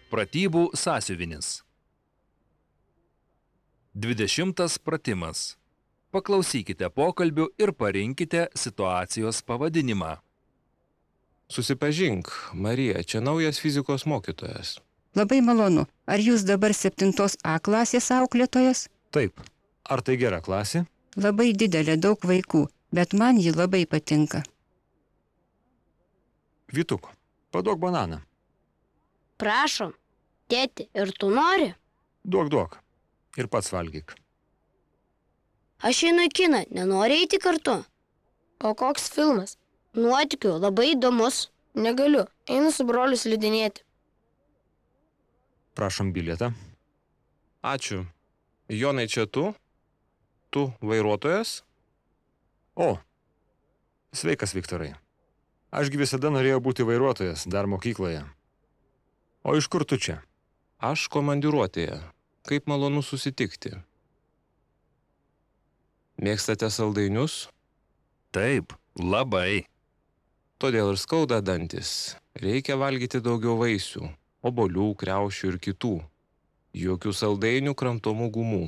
Pratybų sąsiuvinis. 20 pratimas. Paklausykite pokalbių ir parinkite situacijos pavadinimą. Susipažink, Marija, čia naujas fizikos mokytojas. Labai malonu. Ar jūs dabar 7A klasės auklėtojas? Taip. Ar tai gera klasė? Labai didelė, daug vaikų, bet man ji labai patinka. Vytuk, paduok bananą. Prašom. Tėti, ir tu nori? Duok. Ir pats valgyk. Aš einu į kiną, nenori eiti kartu? O koks filmas? Nuotykių, labai įdomus. Negaliu, einu su broliu slidinėti. Prašom bilietą. Ačiū. Jonai, čia tu? Tu vairuotojas? O, sveikas, Viktorai. Ašgi visada norėjau būti vairuotojas, dar mokykloje. O iš kur tu čia? Aš komandiruotėje. Kaip malonu susitikti. Mėgstate saldainius? Taip, labai. Todėl ir skauda dantis. Reikia valgyti daugiau vaisių, obuolių, kriaušių ir kitų. Jokių saldainių, kramtomų gumų.